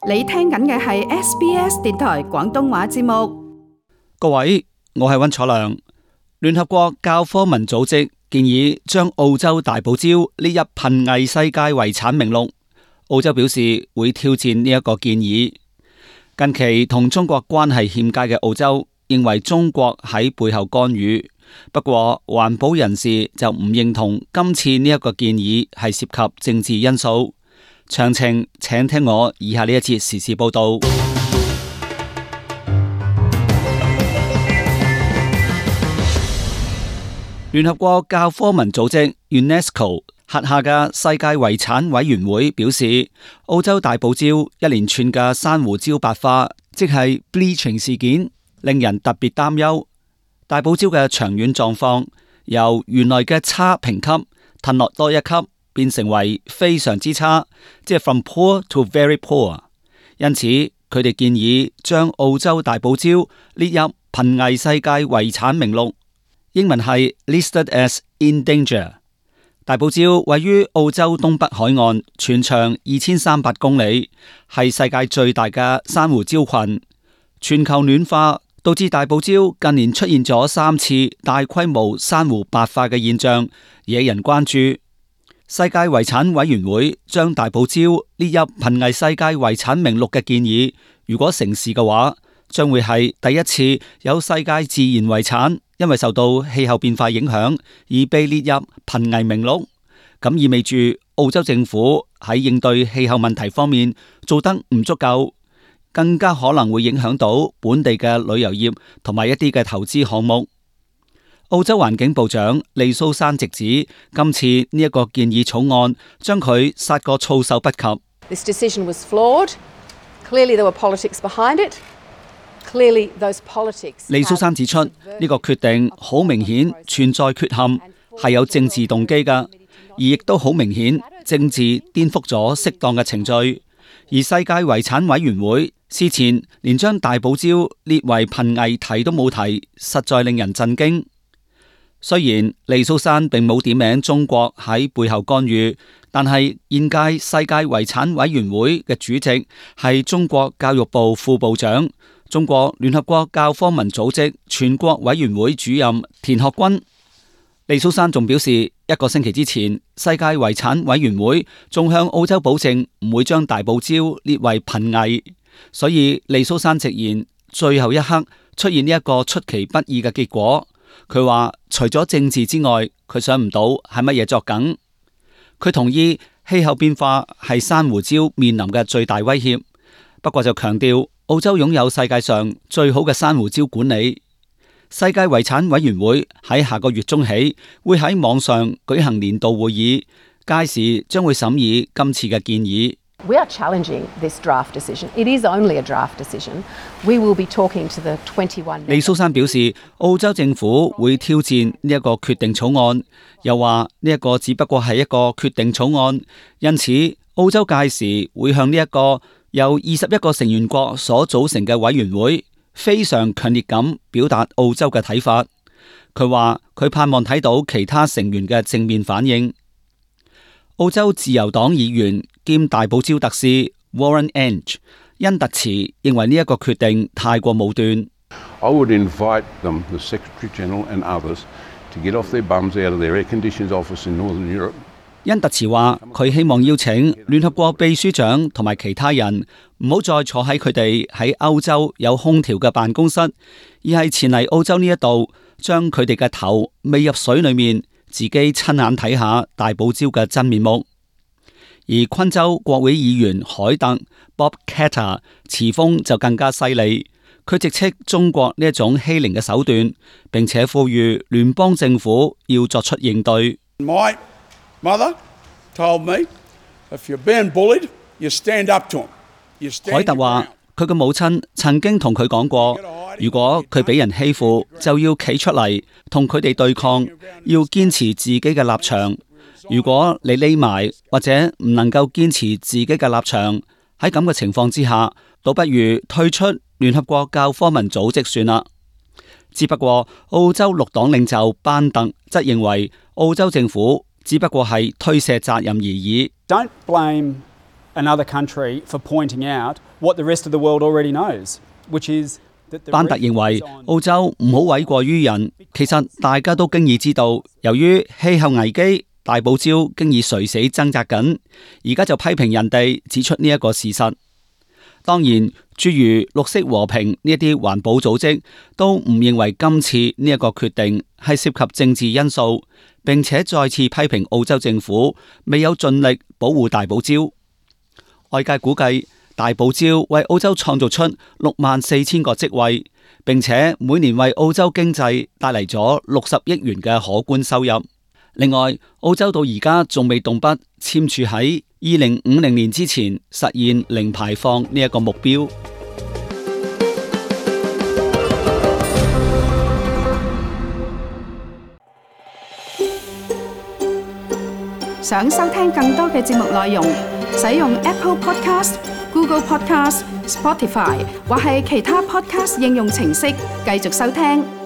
你聽緊嘅係 SBS 電台廣東話節目。各位，我係溫楚良。聯合國教科文組織建議將澳洲大堡礁列入瀕危世界遺產名錄。澳洲表示會挑戰呢一個建議。近期同中國關係欠佳嘅澳洲認為中國喺背後干預，不過環保人士就唔認同今次呢一個建議係涉及政治因素。詳情請聽我以下呢一節時事報道。聯合國教科文組織 UNESCO 轄下嘅世界遺產委員會表示，澳洲大堡礁一連串嘅珊瑚礁白化，即係 bleaching 事件，令人特別擔憂。大堡礁嘅長遠狀況由原來嘅差評級褪落多一級，變成為非常之差，即係 from poor to very poor。因此，佢哋建議將澳洲大堡礁列入瀕危世界遺產名錄，英文係 listed as in danger。大堡礁位於澳洲東北海岸，全長2300公里，係世界最大嘅珊瑚礁群。全球暖化導致大堡礁近年出現咗3次大規模珊瑚白化嘅現象，惹人關注。世界遺產委員會將大堡礁列入瀕危世界遺產名錄嘅建議，如果成事嘅話，將會係第一次有世界自然遺產因為受到氣候變化影響而被列入瀕危名錄。咁意味住澳洲政府喺應對氣候問題方面做得唔足夠，更加可能會影響到本地嘅旅遊業同埋一啲嘅投資項目。澳洲環境部長利蘇珊直指，今次呢一個建議草案將佢殺個措手不及。This decision was flawed. Clearly there were politics behind it. Clearly those politics. 利蘇珊指出，呢個決定好明顯存在缺陷，係有政治動機㗎，而亦都好明顯政治顛覆咗適當嘅程序。而世界遺產委員會事前連將大堡礁列為瀕危提都冇提，實在令人震驚。雖然利蘇珊並冇點名中國喺背後干預，但係現屆世界遺產委員會嘅主席係中國教育部副部長、中國聯合國教科文組織全國委員會主任田學軍。利蘇珊仲表示，1個星期之前，世界遺產委員會仲向澳洲保證唔會將大堡礁列為瀕危，所以利蘇珊直言，最後一刻出現呢一個出其不意嘅結果。佢話除咗政治之外，佢想唔到係乜嘢作梗。佢同意氣候變化係珊瑚礁面臨嘅最大威脅，不過就強調澳洲擁有世界上最好嘅珊瑚礁管理。世界遺產委員會喺下個月中起會喺網上舉行年度會議，屆時將會審議今次嘅建議。We are challenging this draft decision. It is only a draft decision. We will be talking to the 21. 利蘇珊表示，澳洲政府會挑戰呢一個決定草案，又話呢一個只不過係一個決定草案，因此澳洲屆時會向呢一個由21個成員國所組成嘅委員會非常強烈咁表達澳洲嘅睇法。佢話佢盼望睇到其他成員嘅正面反應。澳洲自由黨議員兼大堡礁特使 Warren Entsch 恩特茨認為呢一個決定太過武斷。I would invite them, the Secretary General and others, to get off their bums out of their air-conditioned office in Northern Europe. 恩特茨話佢希望邀請聯合國秘書長同埋其他人唔好再坐喺佢哋喺歐洲有空調嘅辦公室，而係前嚟澳洲呢一度，將佢哋嘅頭未入水裏面，自己親眼睇下大堡礁嘅真面目。而昆州國會議員海特 Bob Katter 詞風就更加犀利，佢直斥中國呢一種欺凌嘅手段，並且呼籲聯邦政府要作出應對。My mother told me, if you're being bullied, you stand up to them. 海特話佢嘅母親曾經同佢講過，如果佢俾人欺負，就要企出嚟同佢哋對抗，要堅持自己嘅立場。如果你匿埋或者唔能夠堅持自己嘅立場，喺咁嘅情況之下，倒不如退出聯合國教科文組織算啦。只不過澳洲綠黨領袖班特則認為澳洲政府只不過係推卸責任而已。Don't blame another country for pointing out what the rest of the world already knows, which is that the 班特認為澳洲唔好諉過於人，其實大家都經已知道，由於氣候危機，大堡礁經已垂死掙扎緊，而家就批評人哋指出呢一個事實。當然，諸如綠色和平呢一啲環保組織都唔認為今次呢一個決定係涉及政治因素，並且再次批評澳洲政府未有盡力保護大堡礁。外界估計大堡礁為澳洲創造出64,000個職位，並且每年為澳洲經濟帶嚟咗60億元嘅可觀收入。另外，澳洲到而家仲未動筆簽署喺2050年之前實現零排放呢一個目標。想收聽更多嘅節目內容，使用 Apple Podcast、Google Podcast、Spotify 或係其他 Podcast 應用程式繼續收聽。